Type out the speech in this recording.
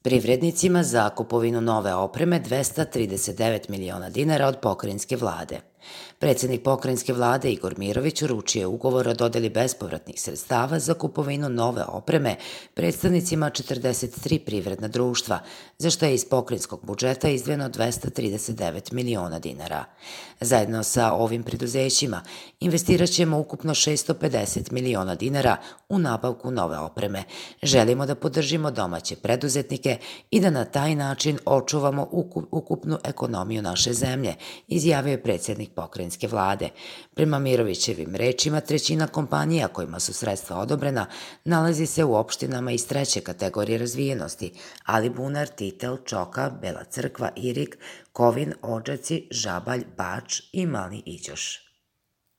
Privrednicima za kupovinu nove opreme 239 miliona dinara od pokrajinske vlade. Predsednik pokrajinske vlade Igor Mirović uručio je ugovor o dodeli bespovratnih sredstava za kupovinu nove opreme predstavnicima 43 privredna društva, za što je iz pokrajinskog budžeta izdvojeno 239 miliona dinara. Zajedno sa ovim preduzećima investiraćemo ukupno 650 miliona dinara u nabavku nove opreme. Želimo da podržimo domaće preduzetnike i da na taj način očuvamo ukupnu ekonomiju naše zemlje, izjavio je predsednik pokrajinske vlade. Prema Mirovićevim rečima, trećina kompanija kojima su sredstva odobrena nalazi se u opštinama iz treće kategorije razvijenosti: Alibunar, Titel, Čoka, Bela Crkva, Irig, Kovin, Odžaci, Žabalj, Bač i Mali Iđoš.